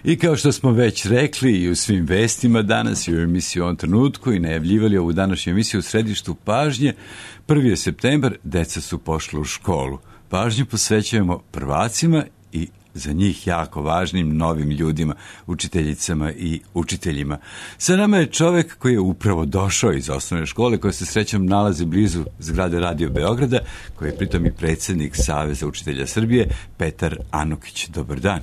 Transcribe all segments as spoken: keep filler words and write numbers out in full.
I kao što smo već rekli i u svim vestima danas i u emisiji u ovom trenutku i najavljivali ovu današnju emisiju u središtu pažnje, prvi je septembar, deca su pošla u školu. Pažnju posvećujemo prvacima i za njih jako važnim novim ljudima, učiteljicama i učiteljima. Sa nama je čovek koji je upravo došao iz osnovne škole, koja se srećom nalazi blizu zgrade Radio Beograda, koji je pritom i predsjednik Saveza učitelja Srbije, Petar Anukić. Dobar dan.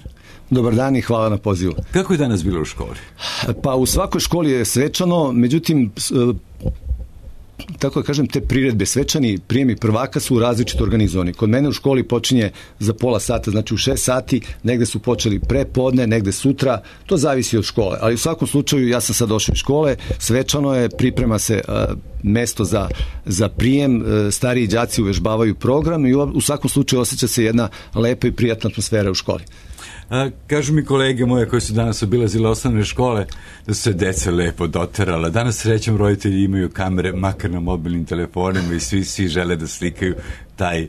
Dobar dan i hvala na pozivu. Kako je danas bilo u školi? Pa u svakoj školi je svečano, međutim, tako da kažem, te priredbe, svečani prijemi prvaka su različito organizovani. Kod mene u školi počinje za pola sata, znači u šest sati, negde su počeli pre podne, negde sutra, to zavisi od škole. Ali u svakom slučaju ja sam sad došao iz škole, svečano je, priprema se uh, mesto za, za prijem, uh, stariji đaci uvežbavaju program i u, u svakom slučaju osjeća se jedna lepa i prijatna atmosfera u školi. A, kažu mi kolege moje koji su danas obilazile osnovne škole da su se deca lepo doterala. Danas srećom roditelji imaju kamere makar na mobilnim telefonima i svi, svi žele da slikaju taj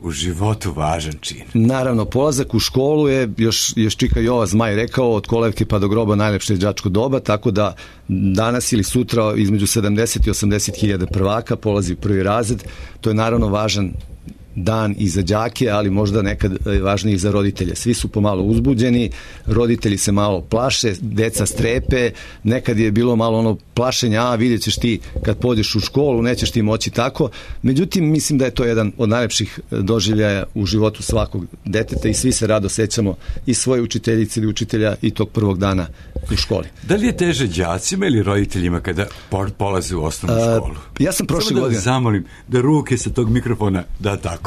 u životu važan čin. Naravno, polazak u školu je, još, još Čika Jova Zmaj rekao, od kolevke pa do groba najlepše đačko doba, tako da danas ili sutra između sedamdeset i osamdeset hiljada prvaka polazi u prvi razred. To je naravno važan dan i za đake, ali možda nekad važniji za roditelje. Svi su pomalo uzbuđeni, roditelji se malo plaše, deca strepe, nekad je bilo malo ono plašenja, a vidjet ćeš ti kad pođeš u školu, nećeš ti moći tako. Međutim, mislim da je to jedan od najlepših doživljaja u životu svakog deteta i svi se rado sećamo i svoje učiteljice ili učitelja i tog prvog dana u školi. Da li je teže đacima ili roditeljima kada polaze u osnovnu školu? A, ja sam prošle Samo da godine... zamolim da ruke sa tog mikrofona, da tako.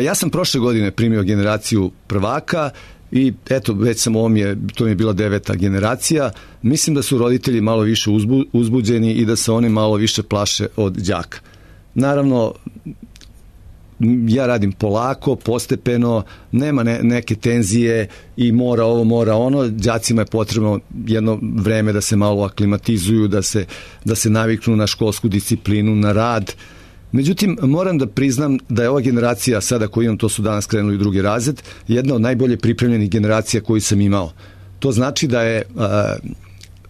Ja sam prošle godine primio generaciju prvaka i eto, već sam ovom je, to mi je bila deveta generacija. Mislim da su roditelji malo više uzbu, uzbuđeni i da se oni malo više plaše od đaka. Naravno, ja radim polako, postepeno, nema ne, neke tenzije i mora ovo, mora ono. Đacima je potrebno jedno vreme da se malo aklimatizuju, da se, da se naviknu na školsku disciplinu, na rad. Međutim, moram da priznam da je ova generacija sada koju imam, to su danas krenuli u drugi razred, jedna od najbolje pripremljenih generacija koju sam imao. To znači da je a,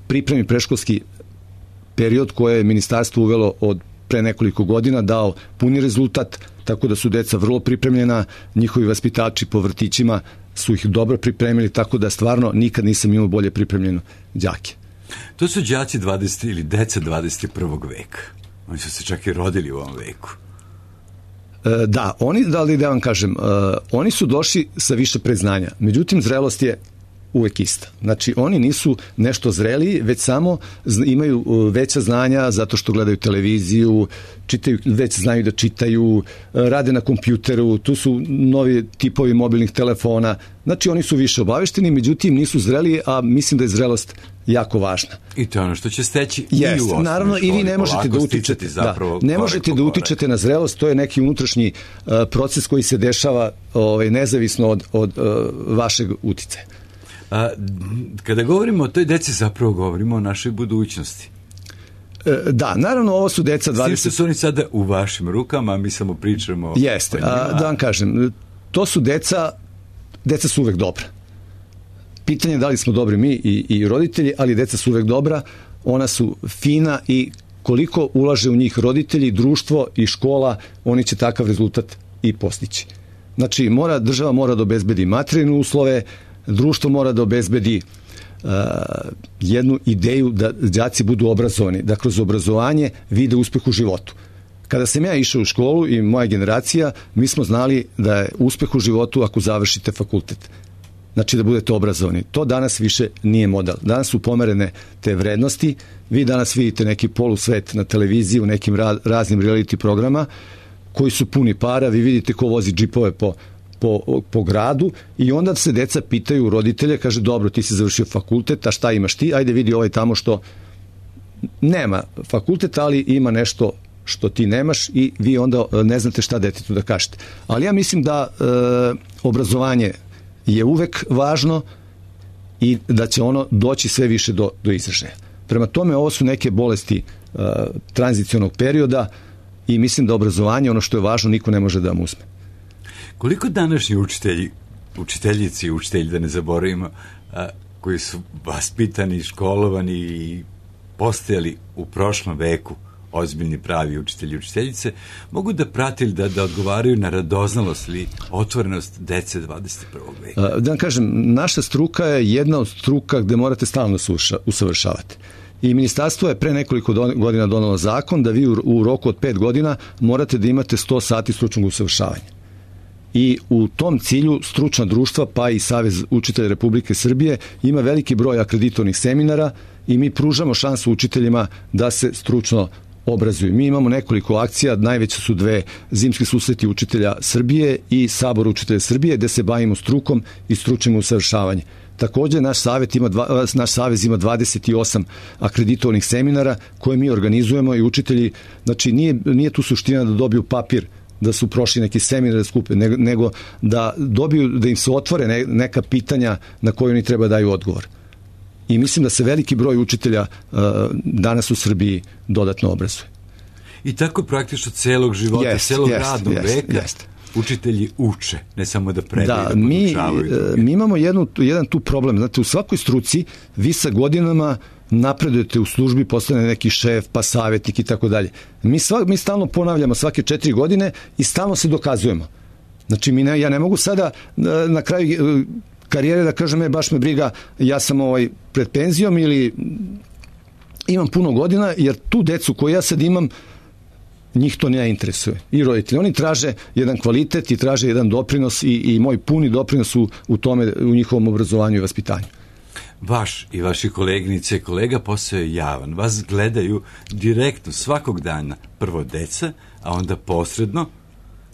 pripremni predškolski period koje je ministarstvo uvelo od pre nekoliko godina dao puni rezultat, tako da su deca vrlo pripremljena, njihovi vaspitači po vrtićima su ih dobro pripremili, tako da stvarno nikad nisam imao bolje pripremljeno đake. To su đaci dvadeset ili deca dvadeset prvog veka. Oni su se čak i rodili u ovom veku. E, da, oni, da li da vam kažem, e, oni su došli sa više predznanja. Međutim, zrelost je uvek ista. Znači, oni nisu nešto zreliji, već samo imaju veća znanja zato što gledaju televiziju, čitaju, već znaju da čitaju, rade na kompjuteru, tu su novi tipovi mobilnih telefona. Znači, oni su više obavešteni, međutim, nisu zreliji, a mislim da je zrelost jako važna. I to je ono što će steći Jest, i u osnovnoj naravno, školi. I vi ne možete da utičete, da, ne možete da utičete na zrelost, to je neki unutrašnji uh, proces koji se dešava ovaj, nezavisno od, od uh, vašeg uticaja. A, kada govorimo o toj deci, zapravo govorimo o našoj budućnosti. E, da, naravno, ovo su deca dvadeset... Svi su oni sada u vašim rukama, a mi samo pričamo... Jeste, a, da vam kažem, to su deca, deca su uvek dobra. Pitanje je da li smo dobri mi i, i roditelji, ali deca su uvek dobra, ona su fina i koliko ulaže u njih roditelji, društvo i škola, oni će takav rezultat i postići. Znači, mora, država mora da obezbedi materijalne uslove, društvo mora da obezbedi uh, jednu ideju da đaci budu obrazovani, da kroz obrazovanje vide uspeh u životu. Kada sam ja išao u školu i moja generacija, mi smo znali da je uspeh u životu ako završite fakultet. Znači da budete obrazovani. To danas više nije model. Danas su pomerene te vrednosti. Vi danas vidite neki polusvet na televiziji u nekim ra- raznim reality programa koji su puni para. Vi vidite ko vozi džipove po Po, po gradu i onda se deca pitaju roditelje, kaže dobro, ti si završio fakultet, a šta imaš ti? Ajde vidi ovaj tamo što nema fakultet, ali ima nešto što ti nemaš i vi onda ne znate šta detetu da kažete. Ali ja mislim da e, obrazovanje je uvek važno i da će ono doći sve više do, do izražaja. Prema tome, ovo su neke bolesti e, tranzicionog perioda i mislim da obrazovanje, ono što je važno, niko ne može da vam uzme. Koliko današnji učitelji, učiteljici i učitelji, da ne zaboravimo, koji su vaspitani, školovani i postojali u prošlom veku, ozbiljni pravi učitelji i učiteljice, mogu da prate ili da, da odgovaraju na radoznalost ili otvorenost dece dvadeset prvog veka? Da vam kažem, naša struka je jedna od struka gde morate stalno se usavršavati. I ministarstvo je pre nekoliko godina donelo zakon da vi u, u roku od pet godina morate da imate sto sati stručnog usavršavanja. I u tom cilju stručna društva, pa i Savez učitelja Republike Srbije, ima veliki broj akreditovanih seminara i mi pružamo šansu učiteljima da se stručno obrazuju. Mi imamo nekoliko akcija, najveće su dve: Zimski susreti učitelja Srbije i Sabor učitelja Srbije, gde se bavimo strukom i stručnim usavršavanjem. Takođe, naš savez ima, dva, naš savez ima dvadeset osam akreditovanih seminara koje mi organizujemo i učitelji, znači nije, nije tu suština da dobiju papir da su prošli neki seminar da skupe, nego da dobiju, da im se otvore neka pitanja na koje oni treba daju odgovor. I mislim da se veliki broj učitelja uh, danas u Srbiji dodatno obrazuje. I tako praktično celog života, yes, celog yes, radnog yes, veka yes. učitelji uče, ne samo da predaju, da, da podučavaju. Mi, mi imamo jednu, jedan tu problem. Znate, u svakoj struci vi sa godinama napredujete u službi, postane neki šef, pa savjetnik i tako dalje. Mi, sva, mi stalno ponavljamo svake četiri godine i stalno se dokazujemo. Znači, mi ne, ja ne mogu sada na, na kraju karijere da kažem, je, baš me briga, ja sam ovaj pred penzijom ili imam puno godina, jer tu decu koju ja sad imam, njih to ne interesuje. I roditelji, oni traže jedan kvalitet i traže jedan doprinos i, i moj puni doprinos u, u tome, u njihovom obrazovanju i vaspitanju. Vaš i vaši koleginice i kolega posao je javan. Vas gledaju direktno svakog dana, prvo deca, a onda posredno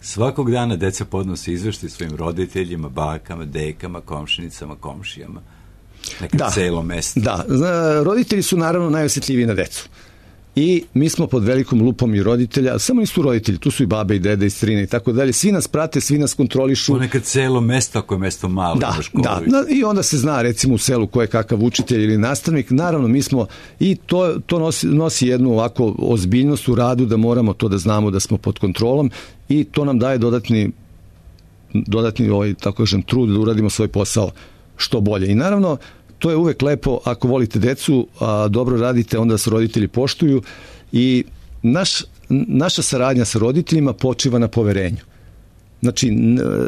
svakog dana deca podnose izveštaj svojim roditeljima, bakama, dekama, komšinicama, komšijama. Nekad da, celo mesto. Da, roditelji su naravno najosjetljiviji na decu. I mi smo pod velikom lupom i roditelja, samo nisu roditelji, tu su i babe i dede i strine i tako dalje. Svi nas prate, svi nas kontrolišu. Ponekad celo mesto, ako je mesto malo. Da, da, da, i onda se zna recimo u selu ko je kakav učitelj ili nastavnik. Naravno, mi smo, i to, to nosi, nosi jednu ovako ozbiljnost u radu, da moramo to da znamo da smo pod kontrolom i to nam daje dodatni, dodatni ovaj, tako kažem, trud da uradimo svoj posao što bolje. I naravno, to je uvek lepo ako volite decu, a dobro radite, onda se roditelji poštuju i naš, naša saradnja sa roditeljima počiva na poverenju. Znači,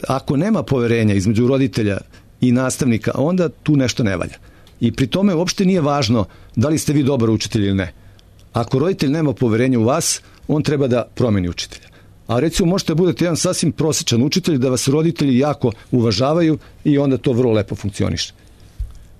ako nema poverenja između roditelja i nastavnika, onda tu nešto ne valja. I pri tome uopšte nije važno da li ste vi dobar učitelj ili ne. Ako roditelj nema poverenja u vas, on treba da promeni učitelja. A recimo možete da budete jedan sasvim prosječan učitelj, da vas roditelji jako uvažavaju i onda to vrlo lepo funkcioniše.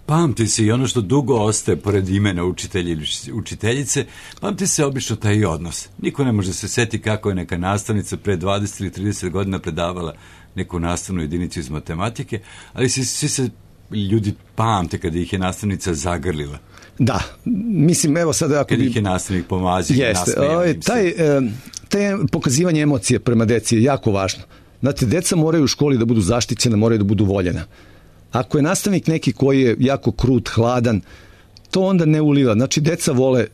Pamti se i ono što dugo ostaje pored imena učitelja ili učiteljice, pamti se obično taj odnos. Niko ne može se seti kako je neka nastavnica pre dvadeset ili trideset godina predavala neku nastavnu jedinicu iz matematike, ali svi, svi se ljudi pamte kada ih je nastavnica zagrlila. Da, mislim, evo sada ako kada bi... ih je nastavnik pomazio i nasmejao im se. Taj, taj pokazivanje emocije prema deci je jako važno. Znate, deca moraju u školi da budu zaštićena, moraju da budu voljena. Ako je nastavnik neki koji je jako krut, hladan, to onda ne uliva. Znači, deca vole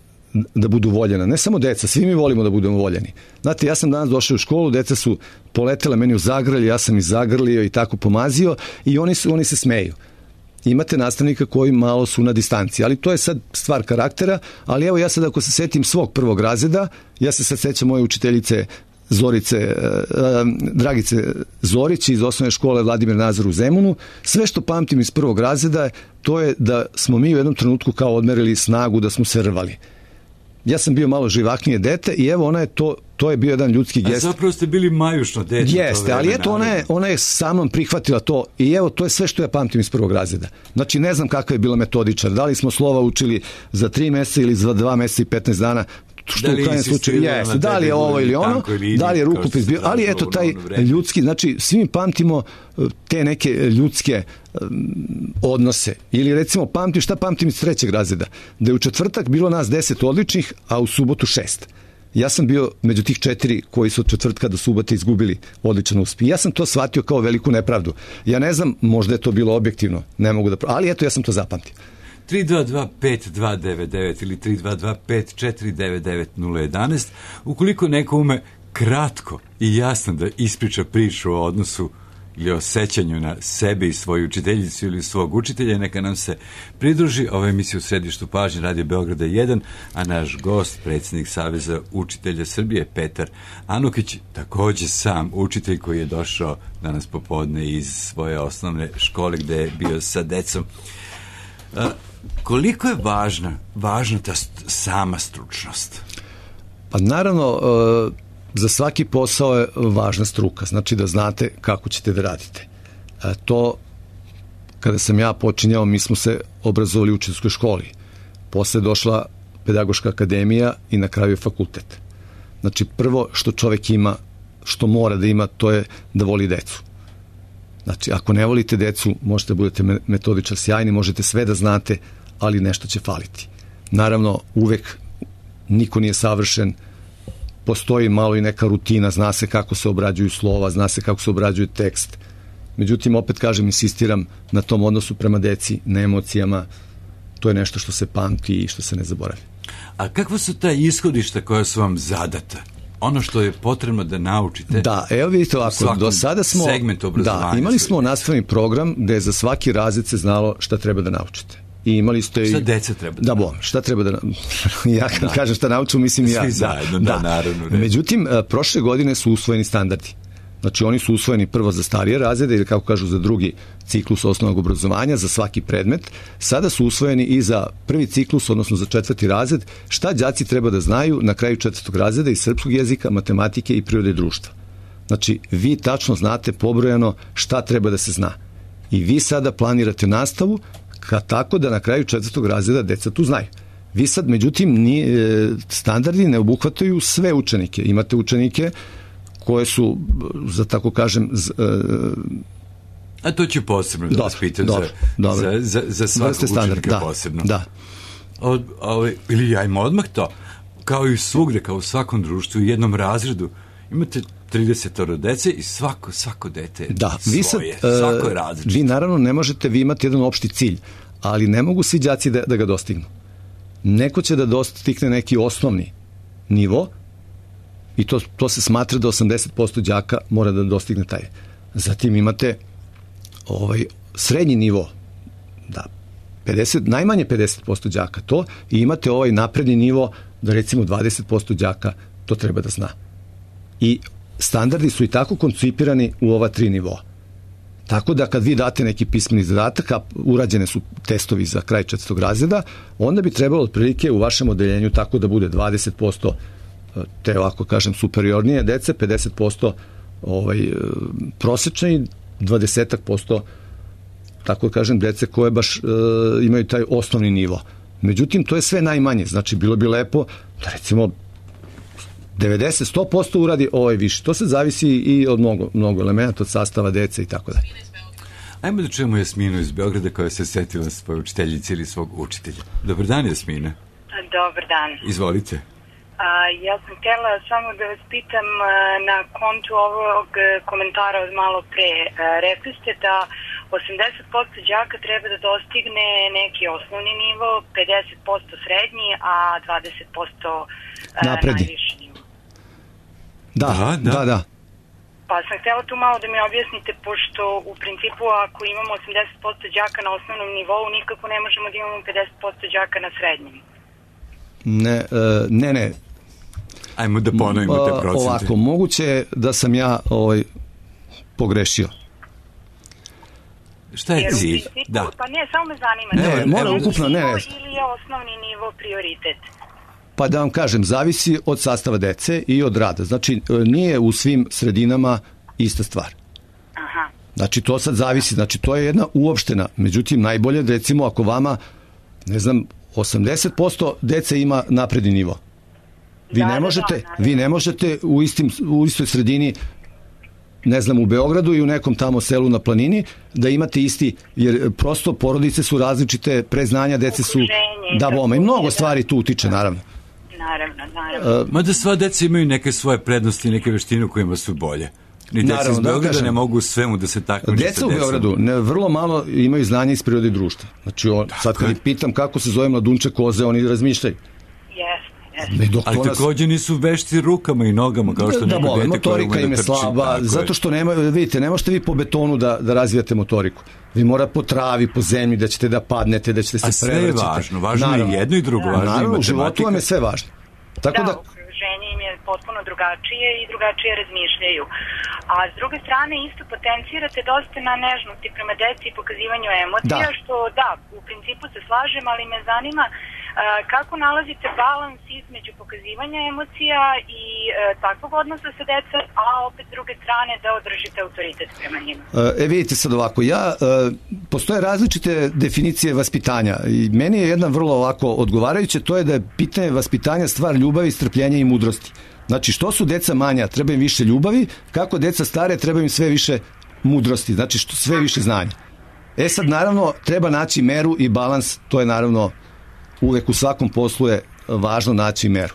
da budu voljena. Ne samo deca, svi mi volimo da budemo voljeni. Znate, ja sam danas došao u školu, deca su poletela meni u zagrlje, ja sam ih zagrlio i tako pomazio i oni, su, oni se smeju. Imate nastavnika koji malo su na distanci, ali to je sad stvar karaktera, ali evo ja sad ako se setim svog prvog razreda, ja se sad sećam moje učiteljice Zorice, Dragice Zorić iz osnovne škole Vladimir Nazor u Zemunu. Sve što pamtim iz prvog razreda, to je da smo mi u jednom trenutku kao odmerili snagu, da smo se rvali. Ja sam bio malo živaknije dete i evo ona je to, to je bio jedan ljudski gest. A zapravo ste bili majušno dete. Jeste, ali eto ona je, ona je sa mnom prihvatila to i evo to je sve što ja pamtim iz prvog razreda. Znači ne znam kakva je bila metodičar, da li smo slova učili za tri meseca ili za dva meseca i petnaest dana, što da u krajnjem slučaju jeste, da li je ovo ili ono, ili da li je rukopis bio, ali eto taj ljudski, znači svi mi pamtimo te neke ljudske um, odnose. Ili recimo pamtim, šta pamtim iz trećeg razreda, da je u četvrtak bilo nas deset odličnih, a u subotu šest. Ja sam bio među tih četiri koji su od četvrtka do subote izgubili odličan uspeh. Ja sam to shvatio kao veliku nepravdu. Ja ne znam, možda je to bilo objektivno, ne mogu da, ali eto ja sam to zapamtio. tri dva dva pet dva devet devet ili tri dva dva pet četiri devet devet nula jedan. Ukoliko neko ume kratko i jasno da ispriča priču o odnosu ili o sećanju na sebe i svoju učiteljicu ili svog učitelja, neka nam se pridruži. Ova emisija u središtu pažnje Radio Beograda jedan, a naš gost, predsjednik Saveza učitelja Srbije, Petar Anukić, takođe sam učitelj koji je došao danas popodne iz svoje osnovne škole gde je bio sa decom. A, koliko je važna, važna ta st- sama stručnost? Pa naravno, e, za svaki posao je važna struka, znači da znate kako ćete da radite. E, to, kada sam ja počinjao, mi smo se obrazovali u učiteljskoj školi. Posle je došla pedagoška akademija i na kraju je fakultet. Znači, prvo što čovek ima, što mora da ima, to je da voli decu. Znači, ako ne volite decu, možete budete metodičar sjajni, možete sve da znate, ali nešto će faliti. Naravno, uvek niko nije savršen, postoji malo i neka rutina, zna se kako se obrađuju slova, zna se kako se obrađuje tekst. Međutim, opet kažem, insistiram na tom odnosu prema deci, na emocijama. To je nešto što se pamti i što se ne zaboravlja. A kakva su ta ishodišta koja su vam zadata? Ono što je potrebno da naučite? Da, evo vidite ovako, do sada smo, da, imali smo nastavni program gde je za svaki razred se znalo šta treba da naučite. I imali ste šta deca treba da, da bom, šta treba da ja kad da. kažem šta nauču, mislim svi ja. Svi zajedno, da, da naravno. Ne. Međutim, prošle godine su usvojeni standardi. Znači, oni su usvojeni prvo za starije razrede ili, kako kažu, za drugi ciklus osnovnog obrazovanja, za svaki predmet. Sada su usvojeni i za prvi ciklus, odnosno za četvrti razred, šta đaci treba da znaju na kraju četvrtog razreda iz srpskog jezika, matematike i prirode i društva. Znači, vi tačno znate pobrojano šta treba da se zna. I vi sada planirate nastavu ka tako da na kraju četvrtog razreda deca tu znaju. Vi sad, međutim, nije, standardi ne obuhvataju sve učenike. Imate učenike koje su, za tako kažem... Z, uh, A to ću posebno da vas pitam dobro, za, dobro. za, za, za svakog učenika da, posebno. Da. Od, ovaj, ili ja im odmah to, kao i svugde, kao u svakom društvu, u jednom razredu, imate trideset dece i svako, svako dete da, svoje, vi sad, svako je različito. Vi naravno ne možete, vi imate jedan opšti cilj, ali ne mogu svi đaci da, da ga dostignu. Neko će da dostigne neki osnovni nivo i to, to se smatra da osamdeset posto đaka mora da dostigne taj. Zatim imate ovaj srednji nivo, da, pedeset, najmanje pedeset posto đaka to, i imate ovaj napredni nivo da recimo dvadeset posto đaka to treba da zna. I standardi su i tako koncipirani u ova tri nivoa. Tako da kad vi date neki pismeni zadatak, a urađene su testovi za kraj četvrtog razreda, onda bi trebalo otprilike u vašem odeljenju tako da bude dvadeset posto te, ovako kažem, superiornije dece, pedeset posto ovaj, prosečne i dvadeset posto, tako da kažem, dece koje baš e, imaju taj osnovni nivo. Međutim, to je sve najmanje. Znači, bilo bi lepo da recimo devedeset do sto posto uradi ovaj više. To se zavisi i od mnogo, mnogo elementa, od sastava dece i tako dalje. Ajmo da čujemo Jasminu iz Beograda koja se setila svoje učiteljice ili svog učitelja. Dobar dan, Jasmina. Dobar dan. Izvolite. A, ja sam htjela samo da vas pitam a, na kontu ovog komentara od malo pre. A, rekli ste da osamdeset posto đaka treba da dostigne neki osnovni nivo, pedeset posto srednji, a dvadeset posto najviši nivo. Da, da, da, da. Pa sam htjela tu malo da mi objasnite, pošto u principu ako imamo osamdeset posto đaka na osnovnom nivou, nikako ne možemo da imamo pedeset posto đaka na srednjem. Ne, uh, ne, ne. Ajmo da ponovimo te procente. Ovako, moguće je da sam ja ovaj, pogrešio. Šta je cilj? Da. Pa ne, samo me zanima. Ne, ne mora ukupno, ne, ne. Ili je osnovni nivo prioritet? Pa da vam kažem, zavisi od sastava dece i od rada. Znači, nije u svim sredinama ista stvar. Aha. Znači, to sad zavisi. Znači, to je jedna uopštena. Međutim, najbolje, recimo, ako vama, ne znam, osamdeset posto dece ima napredni nivo. Vi da, ne možete, da, da, vi ne možete u, istim, u istoj sredini, ne znam, u Beogradu i u nekom tamo selu na planini, da imate isti, jer prosto porodice su različite, preznanja dece su... Ukuženje, da, bome, i mnogo stvari tu utiče, naravno. Naravno, naravno. Uh, Mada sva deca imaju neke svoje prednosti, neke veštine u kojima su bolje. Ni deca iz Beograda da ne mogu svemu da se taknu. Deca u Beogradu ne, vrlo malo imaju znanja iz prirode i društva. Znači, on, sad kad ih pitam kako se zove mladunče koze, oni razmišljaju. Jeste. Ali nas... takođe nisu vešti rukama i nogama, kao što da, neko dete koje motorika im je slaba, zato što nema, vidite, ne možete vi po betonu da, da razvijate motoriku. Vi morate po travi, po zemlji, da ćete da padnete, da ćete se prevrćete. A sve je važno, važno naravno, je jedno i drugo, važno naravno, je matematika. U životu vam je sve važno. Tako da, da okruženje im je potpuno drugačije i drugačije razmišljaju. A s druge strane isto potencirate dosta na nežnosti prema deci i pokazivanju emocija, da. Što da, u principu se slažem, ali me zanima uh, kako nalazite balans između pokazivanja emocija i uh, takvog odnosa sa decom, a opet s druge strane da održite autoritet prema njima. E, vidite sad ovako, ja, uh, postoje različite definicije vaspitanja i meni je jedna vrlo ovako odgovarajuća, to je da je pitanje vaspitanja stvar ljubavi, strpljenja i mudrosti. Znači, što su deca manja, treba im više ljubavi, kako deca stare, treba im sve više mudrosti, znači što sve više znanja. E sad, naravno, treba naći meru i balans, to je naravno uvek u svakom poslu je važno naći meru.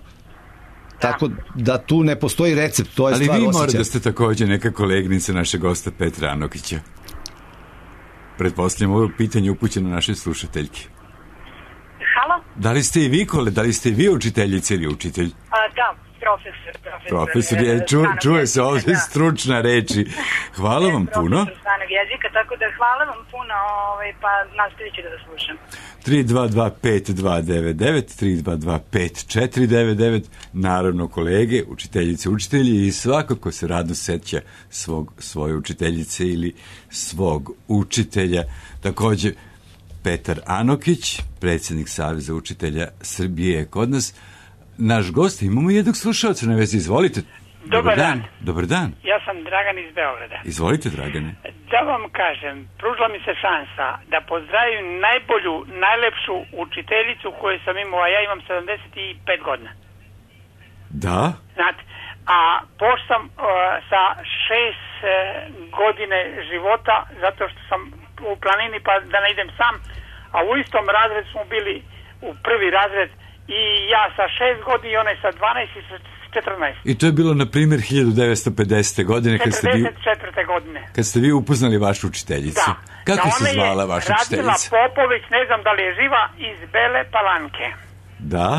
Da. Tako da tu ne postoji recept, to je ali stvar osjećaja. Ali vi morate da ste takođe neka kolegnica našeg gosta Petra Anokića. Pretpostavljam ovo pitanje upućeno našoj slušateljki. Halo? Da li ste i vi, kole, da li ste i vi učiteljica ili učitelj? A, da, profesor. Profesor, profesor je, ču, čuje se ovdje da. Stručna reči. Hvala vam puno. Profesor stranog jezika, tako da hvala vam puno, ovaj, pa nastavit ću da vas slušam. tri dva dva pet dva devet devet, tri dva dva pet četiri devet devet, naravno kolege, učiteljice, učitelji i svako ko se radno seća svog, svoje učiteljice ili svog učitelja. Takođe, Petar Anokić, predsjednik Saveza učitelja Srbije je kod nas. Naš gost, imamo jednog slušalca na vezi, izvolite. Dobar, Dobar dan. dan. Dobar dan. Ja sam Dragan iz Beograda. Izvolite, Dragane. Da vam kažem, pružila mi se šansa da pozdravim najbolju, najlepšu učiteljicu koju sam imao, a ja imam sedamdeset pet godina. Da? Znate, a pošto sam uh, sa šest uh, godine života, zato što sam u planini pa da ne idem sam, a u istom razredu smo bili u prvi razred i ja sa šest godina i onaj sa dvanaest i sa četrnaest. I to je bilo, na primjer, hiljadu devetsto pedesete. godine kad ste, vi, godine. kad ste vi upoznali vašu učiteljicu. Da. Kako da se zvala vaša Radmila učiteljica? Radmila Popović, ne znam da li je živa, iz Bele Palanke. Da.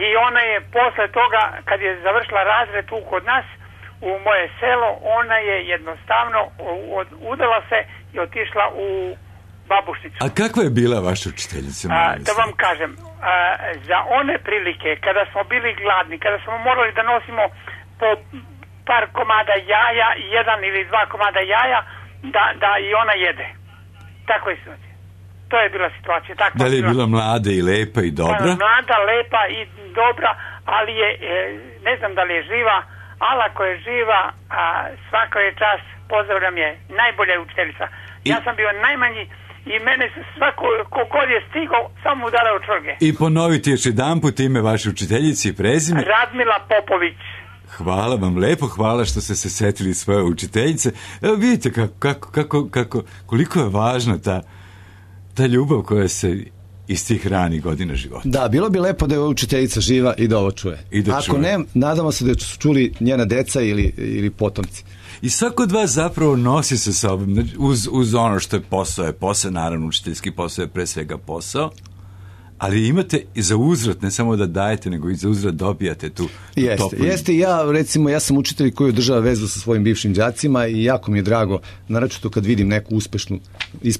I ona je posle toga, kad je završila razred tu kod nas, u moje selo, ona je jednostavno udala se i otišla u Babušnicu. A kakva je bila vaša učiteljica? A, da vam kažem, a, za one prilike, kada smo bili gladni, kada smo morali da nosimo po par komada jaja, jedan ili dva komada jaja, da, da i ona jede. Tako je situacija. To je bila situacija. Tako da li je bila mlada i lepa i dobra? Mlada, lepa i dobra, ali je, ne znam da li je živa, ali ako je živa, a, svaka je čast, pozdravljam je, najbolja je učiteljica. I... Ja sam bio najmanji i mene svako kogod je stigao samo udarao čvrge. I ponoviti još jedan put ime vaše učiteljice i prezime. Radmila Popović. Hvala vam lepo, hvala što ste se setili svoje učiteljice. Evo vidite kako, kako, kako, kako, koliko je važna ta, ta ljubav koja se iz tih ranih godina života. Da, bilo bi lepo da je učiteljica živa i da ovo čuje. I da Ako čuje. ne, nadamo se da su čuli njena deca ili, ili potomci. I svako od vas zapravo nosi sa sobom, uz, uz ono što je posao, je posao, naravno učiteljski posao je pre svega posao, ali imate i za uzvrat, ne samo da dajete, nego i za uzvrat dobijate tu, tu jeste, toplu. Jeste, ja recimo, ja sam učitelj koji održava vezu sa svojim bivšim đacima i jako mi je drago, naročito kad vidim neku uspešnu,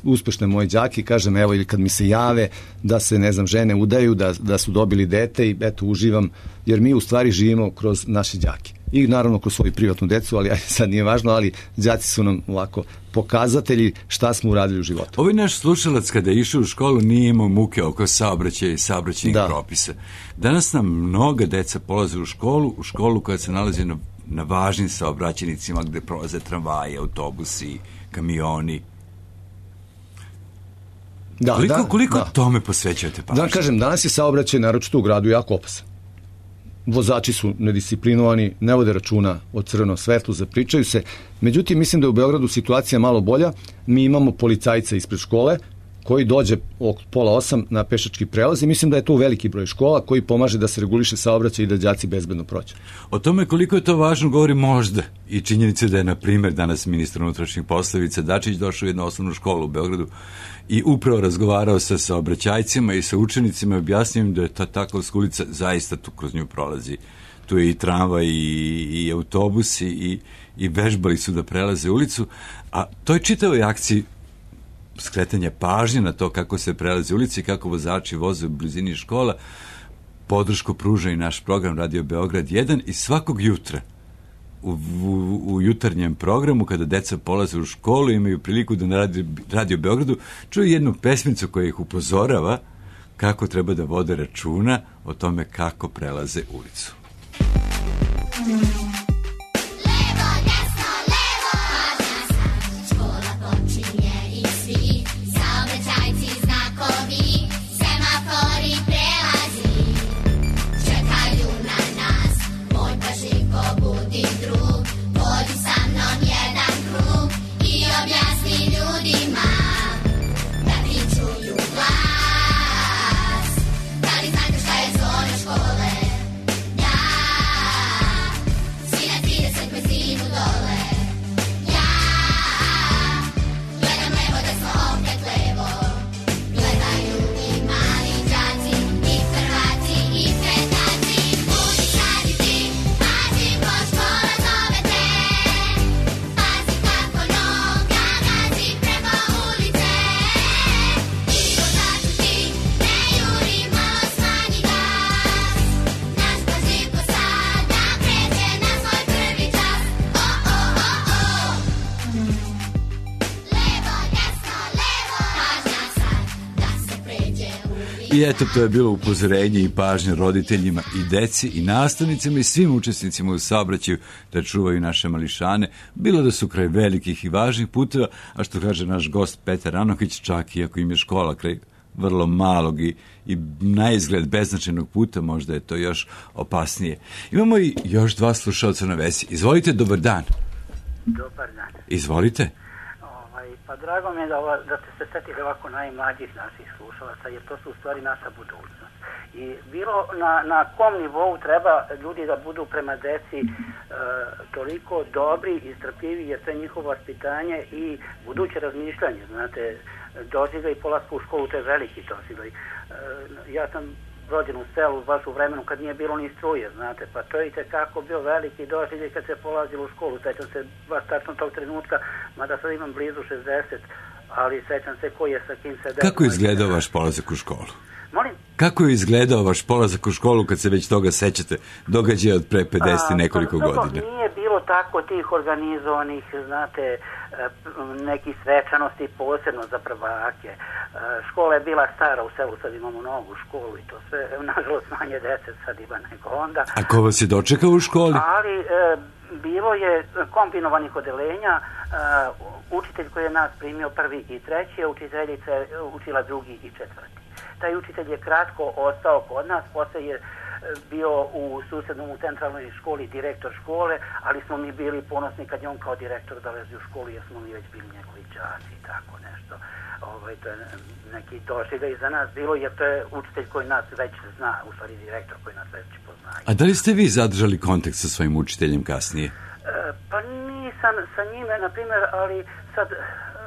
uspešne moje đake, kažem evo, ili kad mi se jave da se, ne znam, žene udaju, da, da su dobili dete i eto, uživam, jer mi u stvari živimo kroz naše đake. I naravno kroz svoju privatnu decu, ali sad nije važno, ali đaci su nam ovako pokazatelji šta smo uradili u životu. Ovaj naš slušalac kada je išao u školu nije imao muke oko saobraćaja i saobraćajnih da. propisa. Danas nam mnoga deca polaze u školu, u školu koja se nalazi na, na važnim saobraćajnicima gde prolaze tramvaje, autobusi, kamioni. Da, koliko da, koliko da. tome posvećujete pažnju? Da, kažem, danas je saobraćaj naročito u gradu jako opasan. Vozači su nedisciplinovani, ne vode računa o crvenom svetlu, zapričaju se. Međutim, mislim da je u Beogradu situacija malo bolja. Mi imamo policajca ispred škole koji dođe oko pola osam na pešački prelaz i mislim da je to veliki broj škola koji pomaže da se reguliše saobraćaj i da đaci bezbedno prođu. O tome koliko je to važno govori možda i činjenica da je, na primjer, danas ministar unutrašnjih poslova Ivica Dačić došao u jednu osnovnu školu u Beogradu i upravo razgovarao sa saobraćajcima i sa učenicima i objasnio im da je ta Takovska ulica zaista tu kroz nju prolazi. Tu je i tramvaj i, i autobusi i, i vežbali su da prelaze ulicu, a toj čitavoj akciji skretanja pažnje na to kako se prelaze ulici i kako vozači voze u blizini škola, podršku pruža i naš program Radio Beograd jedan i svakog jutra u, u, u jutarnjem programu kada deca polaze u školu imaju priliku da na Radio, Radio Beogradu čuju jednu pesmicu koja ih upozorava kako treba da vode računa o tome kako prelaze ulicu. I eto, to je bilo upozorenje i pažnje roditeljima i deci i nastavnicima i svim učesnicima u saobraćaju da čuvaju naše mališane, bilo da su kraj velikih i važnih puteva, a što kaže naš gost Petar Anohić, čak i ako im je škola kraj vrlo malog i, i na izgled beznačajnog puta, možda je to još opasnije. Imamo i još dva slušalca na vezi. Izvolite, dobar dan. Dobar dan. Izvolite. Pa drago mi je da, ova, da ste se setili ovako najmlađih naših slušalaca, jer to su u stvari naša budućnost. I bilo na, na kom nivou treba ljudi da budu prema deci e, toliko dobri i strpljivi, jer to je njihovo vaspitanje i buduće razmišljanje. Znate, doživljaj polasku u školu, to je veliki doživljaj. E, ja sam rođen u selu baš u vremenu kad nije bilo ni struje, znate, pa to je i tekako bio veliki doživljaj kad se polazilo u školu. Sećam se baš tačno tog trenutka, mada sad imam blizu šezdeset, ali sećam se ko je sa kim se deo. Kako je izgledao vaš polazak u školu? Molim? Kako je izgledao vaš polazak u školu kad se već toga sećate, događaja od pre pedeset i nekoliko pa, godina? Nije bilo tako tih organizovanih, znate, nekih svečanosti posebno za prvake. Škola je bila stara u selu, sad imamo novu školu i to sve, nažalost manje dece sad ima nego onda. A ko vas je dočekao u školi? Ali e, bilo je kombinovanih odelenja, e, učitelj koji je nas primio prvi i treći, učiteljica je učila drugi i četvrti. Taj učitelj je kratko ostao kod nas, posle je bio u susednom u centralnoj školi direktor škole, ali smo mi bili ponosni kad je on kao direktor dolazio u školu, jer smo mi već bili njegovi đaci i tako nešto. Ovaj, to je neki doživljaj za nas bilo, jer to je učitelj koji nas već zna, u stvari direktor koji nas već poznaje. A da li ste vi zadržali kontakt sa svojim učiteljem kasnije? E, pa nisam sa njime, na primjer, ali sad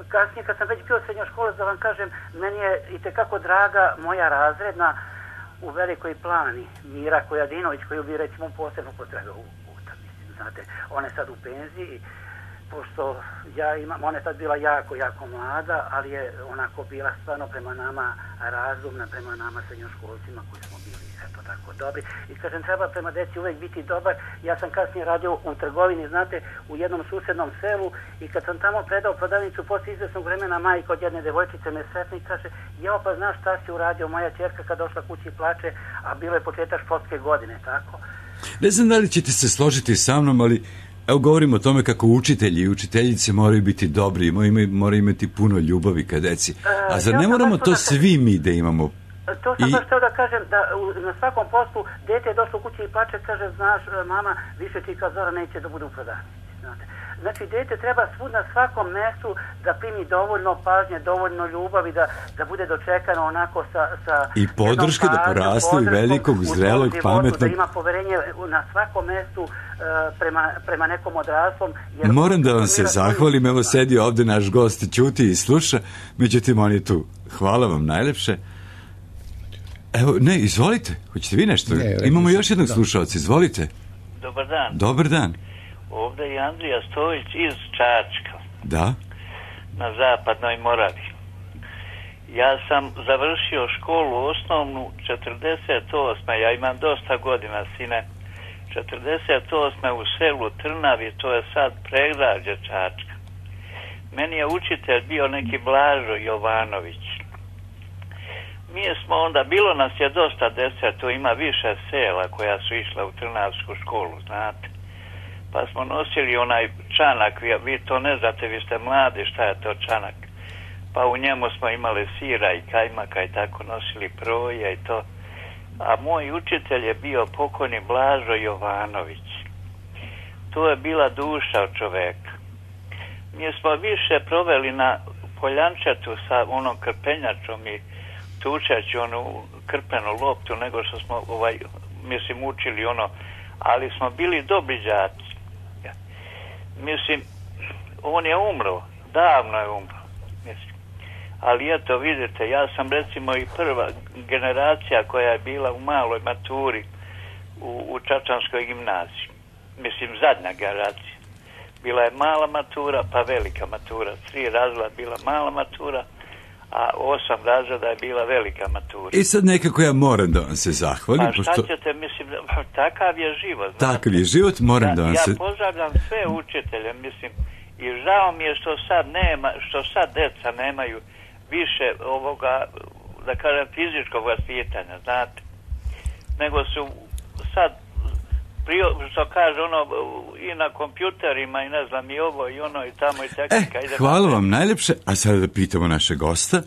kasnije kad sam već bio srednja škola, da vam kažem, meni je i tekako draga moja razredna u Velikoj Plani, Mira Kojadinović, koju bi recimo posebno potrebao u puta, mislim, znate, ona je sad u penziji, pošto ja imam, ona je tad bila jako, jako mlada, ali je onako bila stvarno prema nama razumna, prema nama srednjoškolcima koji smo bili, eto tako, dobri. I kažem, treba prema deci uvek biti dobar. Ja sam kasnije radio u trgovini, znate, u jednom susednom selu i kad sam tamo predao prodavnicu, posle izvesnog vremena majka od jedne devojčice me sretne i kaže, jao, pa znaš šta si uradio, moja ćerka kad došla kući plače, a bilo je početak školske godine, tako? Ne znam da li ćete se složiti sa mnom, ali evo govorimo o tome kako učitelji i učiteljice moraju biti dobri, moraju imati puno ljubavi ka deci. A zar ne moramo to svi mi da imamo? To sam baš htio da kažem, da na svakom poslu dete je došlo u kući i plače, kaže, znaš, mama, više ti kao Zora neće da bude u prodavnici, znate. Znači, dete treba svud na svakom mestu da primi dovoljno pažnje, dovoljno ljubavi, da, da bude dočekano onako sa... sa I podrške da poraste i velikog, zrelog, životu, pametnog... Da ima poverenje na svakom mestu uh, prema, prema nekom odraslom. Jer moram da vam se zahvalim, evo sedi ovde naš gost, ćuti i sluša, međutim on je tu. Hvala vam najlepše. Evo, ne, izvolite, hoćete vi nešto? Ne, imamo još jednog da. slušalca, izvolite. Dobar dan. Dobar dan. Ovdje je Andrija Stojić iz Čačka. Da. Na zapadnoj Moravi. Ja sam završio školu osnovnu četrdeset osme. Ja imam dosta godina, sine. četrdeset osme u selu Trnavi, to je sad predgrađe Čačka. Meni je učitelj bio neki Blažo Jovanović. Mi smo onda, bilo nas je dosta dece, tu ima više sela koja su išla u Trnavsku školu, znate. Pa smo nosili onaj čanak, vi, vi to ne znate, vi ste mladi, šta je to čanak. Pa u njemu smo imali sira i kajmaka i tako nosili proje i to. A moj učitelj je bio pokojni Blažo Jovanović. To je bila duša od čoveka. Mi smo više proveli na poljančetu sa onom krpenjačom i tučeći onu krpenu loptu nego što smo, ovaj, mislim, učili ono, ali smo bili dobri đaci. Mislim, on je umro, davno je umro. Mislim. Ali eto, vidite, ja sam recimo i prva generacija koja je bila u maloj maturi u, u Čačanskoj gimnaziji. Mislim, zadnja generacija. Bila je mala matura, pa velika matura. Tri razreda bila mala matura, a osam razreda je bila velika matura. I sad nekako ja moram da vam se zahvalim. Pa šta pošto... ćete, mislim, takav je život. Znate? Takav je život, moram ja, da vam ja se... Ja pozdravljam sve učitelje, mislim, i žao mi je što sad nema, što sad deca nemaju više ovoga, da kažem, fizičkog vaspitanja, znate, nego su sad, prio, što kaže, ono, i na kompjuterima i ne znam, i ovo, i ono, i tamo, i tehnika. Eh, hvala vam najlepše, a sada da pitamo našeg gosta,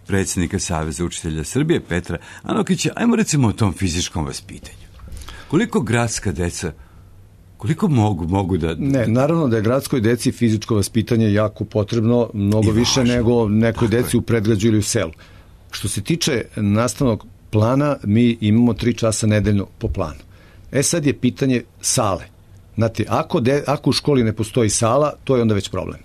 predsjednika Saveza učitelja Srbije, Petra Anokića, ajmo recimo o tom fizičkom vaspitanju. Koliko gradska deca, koliko mogu, mogu da... Ne, naravno da je gradskoj deci fizičko vaspitanje jako potrebno, mnogo više nego nekoj deci u predgrađu ili u selu. Što se tiče nastavnog plana, mi imamo tri časa nedeljno po planu. E sad je pitanje sale. Znate, ako, de, ako u školi ne postoji sala, to je onda već problem.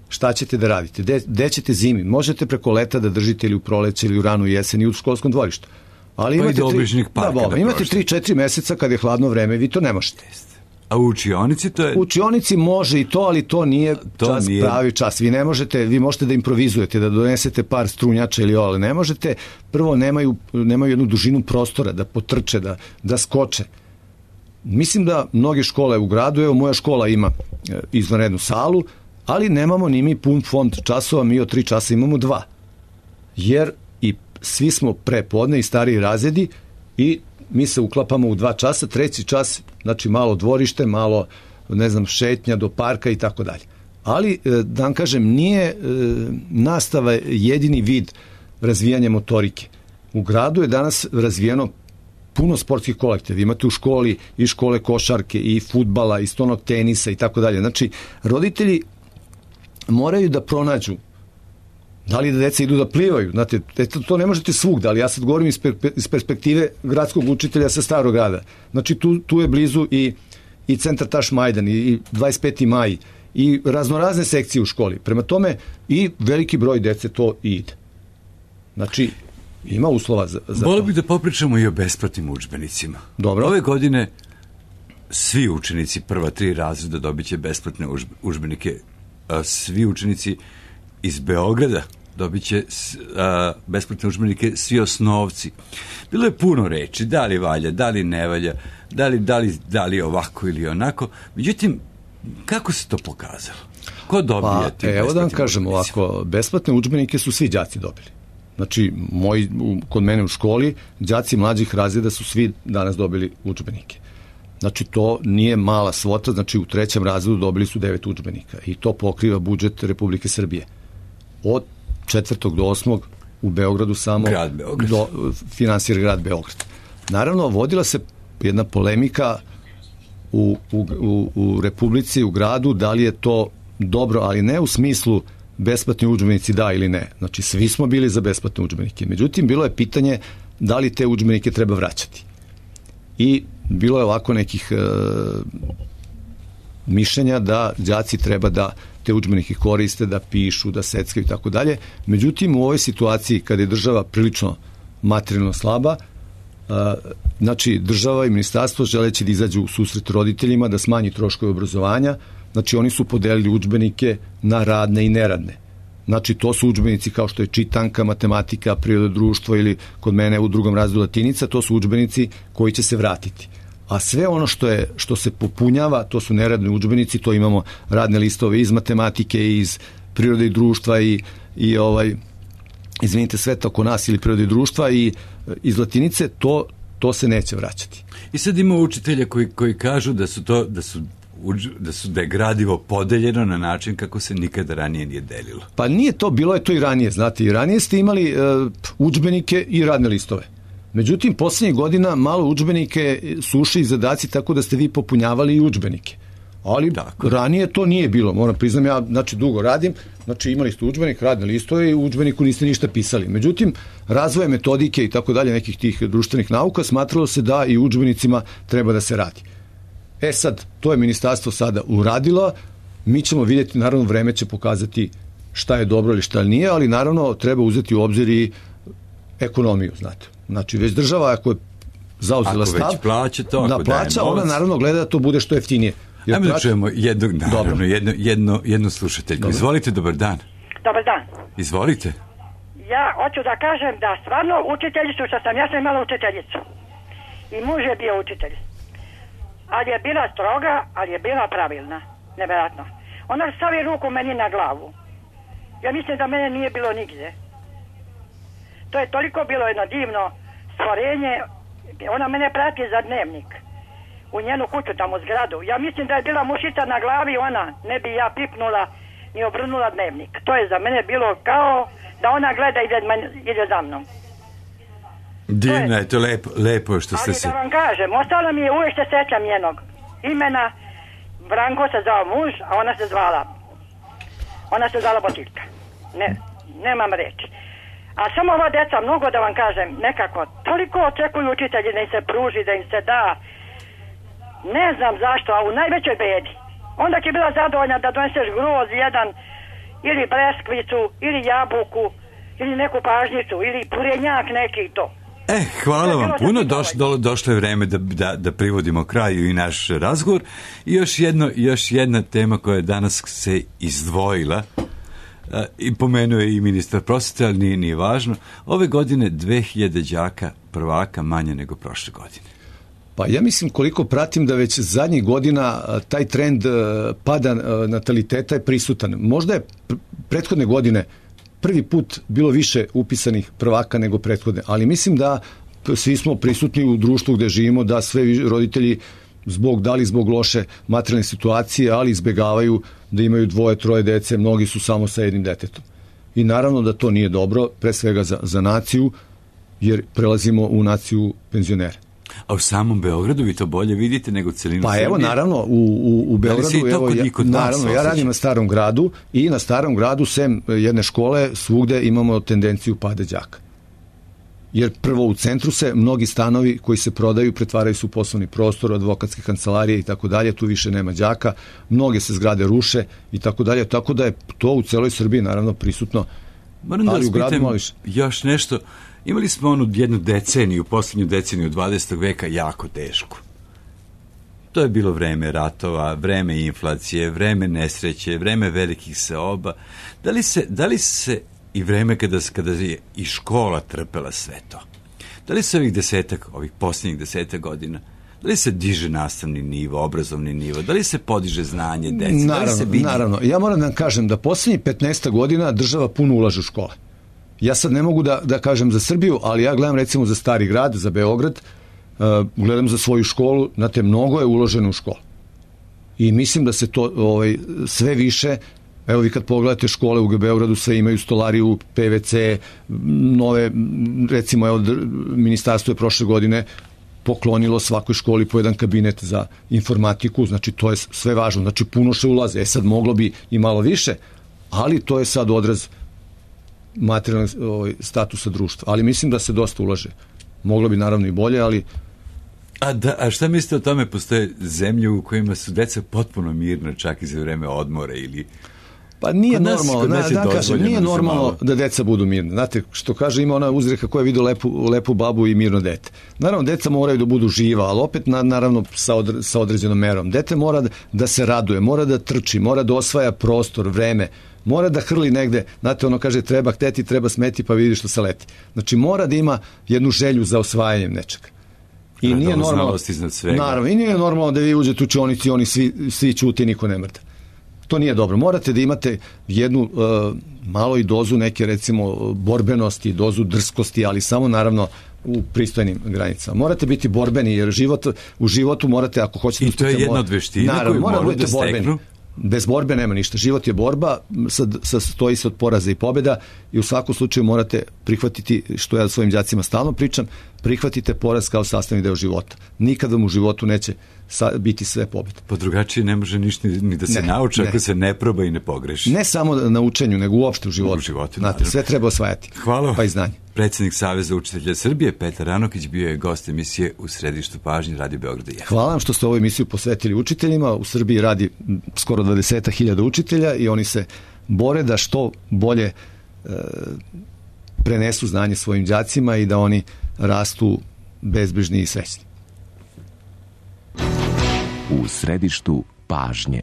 Šta ćete da radite? De, de ćete zimi? Možete preko leta da držite ili u proleće ili u ranu jesen i u školskom dvorištu. Ali pa imate, tri, da, da imate tri četiri meseca kad je hladno vreme, vi to ne možete. A u učionici to je... U učionici može i to, ali to nije to čas, nije... pravi čas. Vi ne možete, vi možete da improvizujete, da donesete par strunjača ili ovo, ali ne možete. Prvo, nemaju, nemaju jednu dužinu prostora da potrče, da, da skoče. Mislim da mnoge škole u gradu, evo moja škola ima izvanrednu salu, ali nemamo ni mi pun fond časova, mi od tri časa imamo dva. Jer i svi smo prepodne i stariji razredi i mi se uklapamo u dva časa, treći čas, znači malo dvorište, malo, ne znam, šetnja do parka i tako dalje. Ali, da vam kažem, nije nastava jedini vid razvijanja motorike. U gradu je danas razvijeno puno sportskih kolektiva. Imate u školi i škole košarke, i fudbala, i stonog tenisa i tako dalje. Znači, roditelji moraju da pronađu da li da deca idu da plivaju. Znate, to ne možete svugda, ali ja sad govorim iz perspektive gradskog učitelja sa Starog grada. Znači, tu, tu je blizu i, i centar Taš Majdan, i dvadeset peti maj, i raznorazne sekcije u školi. Prema tome, i veliki broj dece to i ide. Znači, ima uslova za, za Volio bih da popričamo i o besplatnim udžbenicima. Dobro. Ove godine svi učenici prva tri razreda dobit će besplatne udžbenike. Svi učenici iz Beograda dobit će a, besplatne udžbenike, svi osnovci. Bilo je puno reči, da li valja, da li ne valja, da li, da li, da li ovako ili onako. Međutim, kako se to pokazalo? Ko dobija ti pa, evo da vam kažem ovako, besplatne udžbenike su svi đaci dobili. Znači, moj, kod mene u školi, đaci mlađih razreda su svi danas dobili udžbenike. Znači, to nije mala svota, znači u trećem razredu dobili su devet udžbenika i to pokriva budžet Republike Srbije. Od četvrtog do osmog u Beogradu samo grad Beograd. Do, finansira grad Beograd. Naravno, vodila se jedna polemika u, u, u, u Republici, u gradu, da li je to dobro, ali ne u smislu besplatni udžbenici da ili ne. Znači, svi smo bili za besplatne udžbenike. Međutim, bilo je pitanje da li te udžbenike treba vraćati. I bilo je ovako nekih e, mišljenja da đaci treba da te udžbenike koriste, da pišu, da seckaju i tako dalje. Međutim, u ovoj situaciji kada je država prilično materijalno slaba, a, znači država i ministarstvo želeći da izađu u susret roditeljima, da smanji troškove obrazovanja, znači oni su podelili udžbenike na radne i neradne. Znači to su udžbenici kao što je čitanka, matematika, priroda, društvo ili kod mene u drugom razredu latinica, to su udžbenici koji će se vratiti. A sve ono što je što se popunjava, to su neradni udžbenici, to imamo radne listove iz matematike, iz prirode i društva i, i ovaj izvinite, sveta oko nas ili prirode i društva i iz latinice, to, to se neće vraćati. I sad ima učitelja koji, koji kažu da su to da su da su da je gradivo podeljeno na način kako se nikada ranije nije delilo. Pa nije to, bilo je to i ranije, znate, i ranije ste imali uh, udžbenike i radne listove. Međutim, poslednjih godina malo udžbenike su ušli i zadaci tako da ste vi popunjavali i udžbenike. Ali tako, ranije to nije bilo, moram priznam, ja znači dugo radim, znači imali ste udžbenik, radne listove i u udžbeniku niste ništa pisali. Međutim, razvoje metodike i tako dalje nekih tih društvenih nauka smatralo se da i udžbenicima treba da se radi. E sad, to je ministarstvo sada uradilo, mi ćemo vidjeti, naravno vreme će pokazati šta je dobro ili šta nije, ali naravno treba uzeti u obzir i ekonomiju, znate. Znači, već država ako je zauzela stav, ako već plaća to, ako da plaća, ona naravno gleda da to bude što jeftinije. Jer ajmo da čujemo jednog, naravno, jedno, jedno, jednu slušateljku. Dobro. Izvolite, dobar dan. Dobar dan. Izvolite. Ja hoću da kažem da stvarno učiteljicu što sam, ja sam imala učiteljicu. I muž je bio učitelj. Ali je bila stroga, ali je bila pravilna. Nevjerojatno. Ona stavi ruku meni na glavu. Ja mislim da mene nije bilo nigdje. To je toliko bilo jedno divno stvorenje. Ona mene prati za dnevnik. U njenu kuću tamo zgradu. Ja mislim da je bila mušica na glavi, ona ne bi ja pipnula ni obrnula dnevnik. To je za mene bilo kao da ona gleda i ide, ide za mnom. Divno je to, lepo, lepo što ste ali se... Ali da vam kažem, ostalo mi je, uvijek se sećam njenog imena. Branko se zvao muž, a ona se zvala ona se zvala Botiljka. Ne, nemam reći. A samo ova deca, mnogo da vam kažem, nekako toliko očekuju učitelji da im se pruži, da im se da. Ne znam zašto, a u najvećoj bedi. Onda će bila zadovoljna da doneseš groz jedan, ili breskvicu, ili jabuku, ili neku pažnjicu, ili purenjak neki i to. E, hvala vam puno, Doš, do, došlo je vreme da, da, da privodimo kraju i naš razgovor. I još, jedno, još jedna tema koja je danas se izdvojila, a, i pomenuo je i ministar prosvete, ali nije, nije važno. Ove godine dve hiljade đaka prvaka manje nego prošle godine. Pa ja mislim koliko pratim da već zadnjih godina taj trend pada nataliteta je prisutan. Možda je prethodne godine prvi put bilo više upisanih prvaka nego prethodne, ali mislim da svi smo prisutni u društvu gde živimo, da sve roditelji zbog, da li zbog loše materijalne situacije, ali izbegavaju da imaju dvoje, troje dece, mnogi su samo sa jednim detetom. I naravno da to nije dobro, pre svega za, za naciju, jer prelazimo u naciju penzionera. A u samom Beogradu vi to bolje vidite nego celinu pa Srbije? Pa evo, naravno, u, u, u Beogradu, evo, ja, naravno, ja radim na Starom gradu i na Starom gradu, sem jedne škole, svugde imamo tendenciju pada đaka. Jer prvo u centru se mnogi stanovi koji se prodaju pretvaraju su u poslovni prostor, advokatske kancelarije i tako dalje, tu više nema đaka, mnoge se zgrade ruše i tako dalje, tako da je to u celoj Srbiji naravno prisutno. Moram da vas pitam još nešto. Imali smo onu jednu deceniju, poslednju deceniju dvadesetog veka jako tešku. To je bilo vreme ratova, vreme inflacije, vreme nesreće, vreme velikih seoba. Da li se, da li se i vreme kada, kada je i škola trpela sve to? Da li se ovih desetak, ovih posljednjih desetak godina, da li se diže nastavni nivo, obrazovni nivo, da li se podiže znanje dece? Naravno, da li se vidi... naravno. Ja moram da vam kažem da posljednjih petnaest godina država puno ulaže u škole. Ja sad ne mogu da, da kažem za Srbiju, ali ja gledam recimo za Stari grad, za Beograd, uh, gledam za svoju školu, znate, mnogo je uloženo u školu. I mislim da se to ovaj, sve više, evo vi kad pogledate škole u Beogradu, sve imaju stolariju, P V C, nove, recimo, evo, ministarstvo je prošle godine poklonilo svakoj školi po jedan kabinet za informatiku, znači to je sve važno, znači puno še ulaze, e sad moglo bi i malo više, ali to je sad odraz materijalnog statusa društva, ali mislim da se dosta ulaže. Moglo bi naravno i bolje, ali... A, da, a šta mislite o tome? Postoje zemlje u kojima su deca potpuno mirna čak i za vreme odmora ili... Pa nije normalno, na, da kažem, nije normalno da deca budu mirne. Znate, što kaže, ima ona uzreka koja vidi lepu, lepu babu i mirno dete. Naravno, deca moraju da budu živa, ali opet na, naravno sa, odre, sa određenom merom. Dete mora da, da se raduje, mora da trči, mora da osvaja prostor, vreme, mora da hrli negde, znate, ono kaže treba hteti, treba smeti, pa vidi što se leti. Znači, mora da ima jednu želju za osvajanjem nečega. I nije normalno, naravno, i nije normalno da vi uđete u učionici i oni svi, svi ćute i niko ne mrda. To nije dobro. Morate da imate jednu uh, malo i dozu neke, recimo, borbenosti, dozu drskosti, ali samo naravno u pristojnim granicama. Morate biti borbeni, jer život, u životu morate, ako hoćete... I to je jedna od veština koju morate da steknu. Bez borbe nema ništa. Život je borba, sastoji se od poraza i pobjeda i u svakom slučaju morate prihvatiti, što ja svojim đacima stalno pričam, prihvatite poraz kao sastavni deo života. Nikad vam u životu neće biti sve pobjede. Pa drugačije ne može ništa ni da se ne, nauči ako ne. se ne proba i ne pogreši. Ne samo na učenju, nego uopšte u životu. U životu, znate, sve treba osvajati. Hvala. Pa i znanje. Predsjednik Saveza učitelja Srbije, Petar Ranokić, bio je gost emisije U središtu pažnje Radio Beograda jedan. Hvala vam što ste ovu emisiju posvetili učiteljima. U Srbiji radi skoro dvadeset hiljada učitelja i oni se bore da što bolje e, prenesu znanje svojim đacima i da oni rastu bezbrižni i srećni. U središtu pažnje.